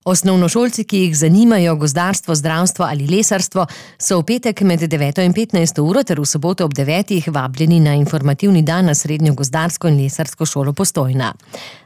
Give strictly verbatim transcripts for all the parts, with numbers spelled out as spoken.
Osnovnošolci, ki jih zanimajo gozdarstvo, zdravstvo ali lesarstvo, so v petek med deveto in petnajsto uro ter v soboto ob devetih vabljeni na informativni dan na Srednjo gozdarsko in lesarsko šolo Postojna.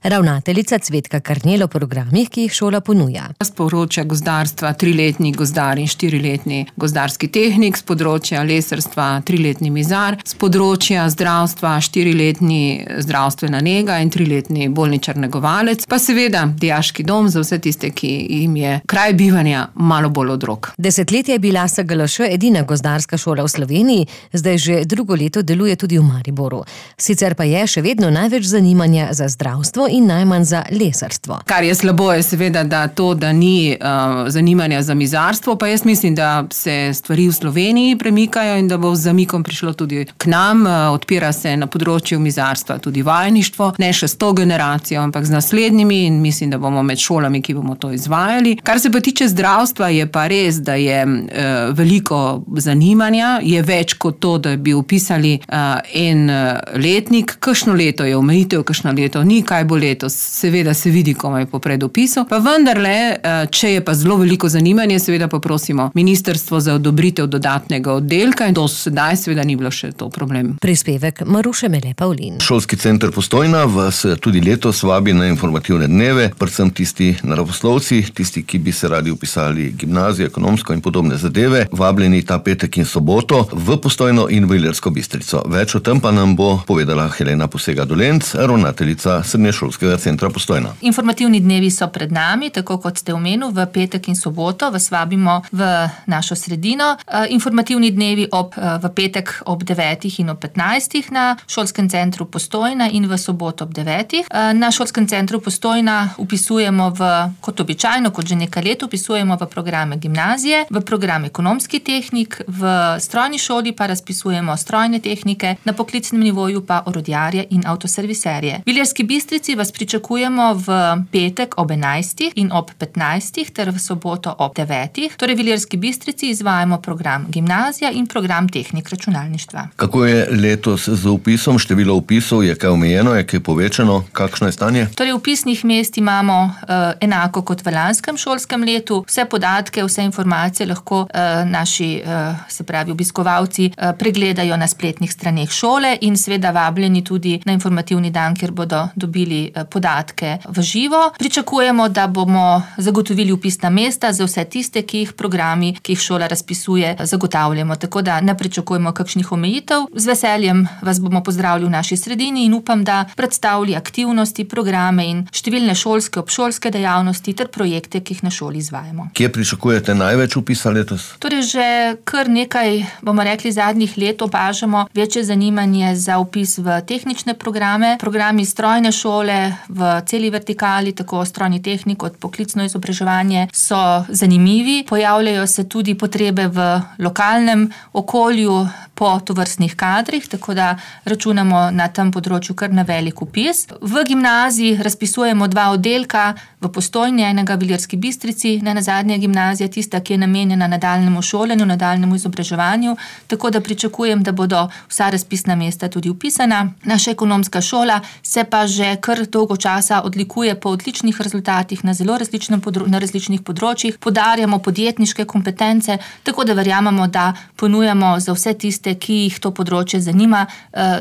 Ravnateljica Cvetka Karnel o programih, ki jih šola ponuja. Z področja gozdarstva triletni gozdar in štiriletni gozdarski tehnik, z področja lesarstva triletni mizar, z področja zdravstva štiriletni zdravstvena nega in triletni bolničar negovalec, pa seveda dijaški dom za vse tiste, ki jim je kraj bivanja malo bolj od rok. Desetletje je bila S G L Š edina gozdarska šola v Sloveniji, zdaj že drugo leto deluje tudi v Mariboru. Sicer pa je še vedno največ zanimanja za zdravstvo in najmanj za lesarstvo. Kar je slabo je seveda, da to, da ni uh, zanimanja za mizarstvo, pa jaz mislim, da se stvari v Sloveniji premikajo in da bo z zamikom prišlo tudi k nam. Uh, odpira se na področju mizarstva tudi vajeništvo, ne še s to generacijo, ampak z naslednjimi in mislim, da bomo med šolami, ki bomo to izvajali. Kar se pa tiče zdravstva, je pa res, da je uh, veliko zanimanja, je več kot to, da bi upisali uh, en letnik. Kakšno leto je omejitev, kakšno leto ni, kaj bo letos, seveda se vidi, komaj po predopisu. Pa vendarle, uh, če je pa zelo veliko zanimanje, seveda poprosimo ministrstvo za odobritev dodatnega oddelka in to sedaj seveda ni bilo še to problem. Prispevek Maruše Mele Pavlin. Šolski center Postojna vas tudi letos vabi na informativne dneve, predvsem tisti naravoslovci, tisti, ki bi se radi upisali gimnazijo, ekonomsko in podobne zadeve, vabljeni ta petek in soboto v Postojno in v Ilirsko Bistrico. Več o tem pa nam bo povedala Helena Posega-Dolenc, ravnateljica Srednješolskega centra Postojna. Informativni dnevi so pred nami, tako kot ste omenili, v petek in soboto vas vabimo v našo sredino. Informativni dnevi ob, v petek ob devetih in ob petnajstih na Šolskem centru Postojna in v soboto ob devetih. Na Šolskem centru Postojna upisujemo v, kot običajno, kot že nekaj let, upisujemo v programe gimnazije, v program ekonomski tehnik, v strojni šoli pa razpisujemo strojne tehnike, na poklicnem nivoju pa orodjarje in avtoserviserje. V Ilirski Bistrici vas pričakujemo v petek ob enajstih in ob petnajstih ter v soboto ob devetih. Torej v Ilirski Bistrici izvajamo program gimnazija in program tehnik računalništva. Kako je letos z upisom? Število upisov je kaj omejeno, je kaj povečano? Kakšno je stanje? Torej upisnih mest imamo uh, enako kot v lanskem šolskem letu. Vse podatke, vse informacije lahko uh, naši, uh, se pravi obiskovalci, uh, pregledajo na spletnih straneh šole in seveda vabljeni tudi na informativni dan, kjer bodo dobili uh, podatke v živo. Pričakujemo, da bomo zagotovili upisna mesta za vse tiste, ki jih programi, ki jih šola razpisuje, zagotavljamo. Tako da ne pričakujemo kakšnih omejitev. Z veseljem vas bomo pozdravili v naši sredini in upam, da predstavili aktivnosti, programe in številne šolske, obšolske dejavnosti ter projekte, ki jih na šoli izvajamo. Kje pričakujete največ upisa letos? Torej že kar nekaj, bomo rekli, zadnjih let opažamo večje zanimanje za upis v tehnične programe. Programi strojne šole v celi vertikali, tako strojni tehnik kot poklicno izobraževanje, so zanimivi. Pojavljajo se tudi potrebe v lokalnem okolju po tovrstnih kadrih, tako da računamo na tem področju kar na velik upis. V gimnaziji razpisujemo dva oddelka, v Postojni, enega v Ilirski Bistrici, ne nazadnje gimnazija tista, ki je namenjena nadaljnjemu šolanju, nadaljnjemu izobraževanju, tako da pričakujem, da bodo vsa razpisna mesta tudi upisana. Naša ekonomska šola se pa že kar dolgo časa odlikuje po odličnih rezultatih na zelo različnem podro- na različnih področjih. Podarjamo podjetniške kompetence, tako da verjamemo, da ponujamo za vse tiste, ki jih to področje zanima,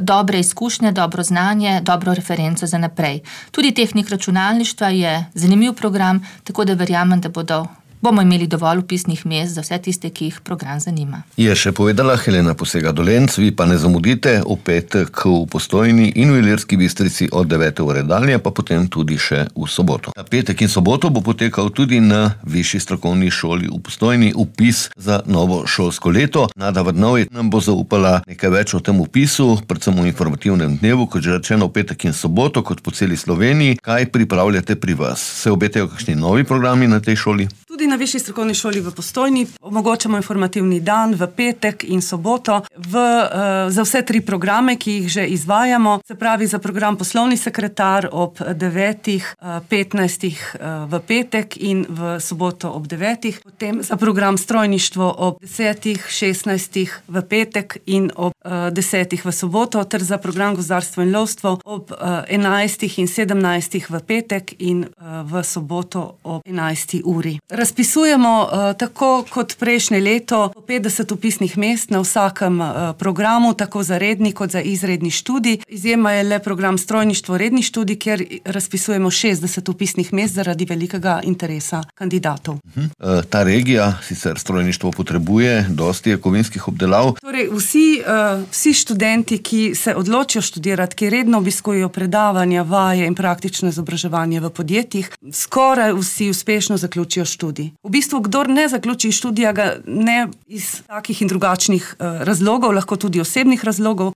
dobre izkušnje, dobro znanje, dobro referenco za naprej. Tudi tehnik računalništva je zanimiv program, tako da verjamem, da bodo bomo imeli dovolj upisnih mest za vse tiste, ki jih program zanima. Je še povedala Helena Posega-Dolenc, vi pa ne zamudite v petek v Postojni in v Ilirski Bistrici od devete ure dalje, pa potem tudi še v soboto. Na petek in soboto bo potekal tudi na Višji strokovni šoli v Postojni upis za novo šolsko leto. Nada Vrnovej nam bo zaupala nekaj več o tem upisu, predvsem v informativnem dnevu, kot že rečeno v petek in soboto, kot po celi Sloveniji. Kaj pripravljate pri vas? Se obetajo kakšni novi programi na tej šoli? Tudi na Višji strokovni šoli v Postojni Omogočamo informativni dan v petek in soboto v, za vse tri programe, ki jih že izvajamo. Se pravi, za program Poslovni sekretar ob devetih, petnajstih v petek in v soboto ob devetih. Potem za program Strojništvo ob desetih, šestnajstih v petek in ob desetih v soboto, ter za program Gozdarstvo in lovstvo ob enajstih in sedemnajstih v petek in v soboto ob enajsti uri. Razpisujemo tako kot prejšnje leto petdeset vpisnih mest na vsakem programu, tako za redni kot za izredni študij. Izjema je le program Strojništvo redni študij, kjer razpisujemo šestdeset vpisnih mest zaradi velikega interesa kandidatov. Uh-huh. Ta regija, sicer strojništvo, potrebuje dosti kovinskih obdelav. Torej, vsi, vsi študenti, ki se odločijo študirati, ki redno obiskujejo predavanja, vaje in praktično izobraževanje v podjetjih, skoraj vsi uspešno zaključijo študij. V bistvu, kdor ne zaključi študija, ga ne iz takih in drugačnih razlogov, lahko tudi osebnih razlogov,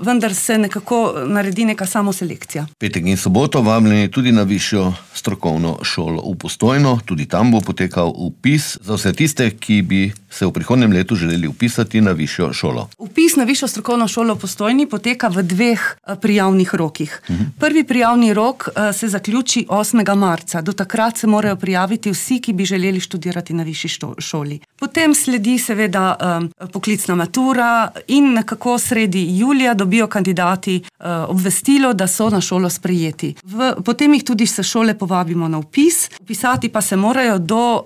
vendar se nekako naredi neka samoselekcija. Petek in soboto vabljeni tudi na višjo strokovno šolo v Postojno. Tudi tam bo potekal vpis za vse tiste, ki bi se v prihodnjem letu želeli vpisati na višjo šolo. Vpis na višjo strokovno šolo v Postojni poteka v dveh prijavnih rokih. Uh-huh. Prvi prijavni rok se zaključi osmega marca. Do takrat se morajo prijaviti vsi, ki bi želeli študirati na višji šoli. Potem sledi seveda um, poklicna matura in nekako sredi julija dobijo kandidati uh, obvestilo, da so na šolo sprejeti. V, potem jih tudi se šole povabimo na vpis, vpisati pa se morajo do uh,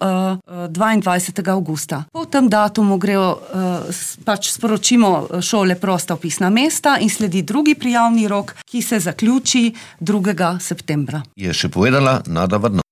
dvaindvajsetega avgusta. Po tem datumu grejo, uh, pač sporočimo šole prosta vpisna mesta in sledi drugi prijavni rok, ki se zaključi drugega septembra. Je še povedala Nada Vrno.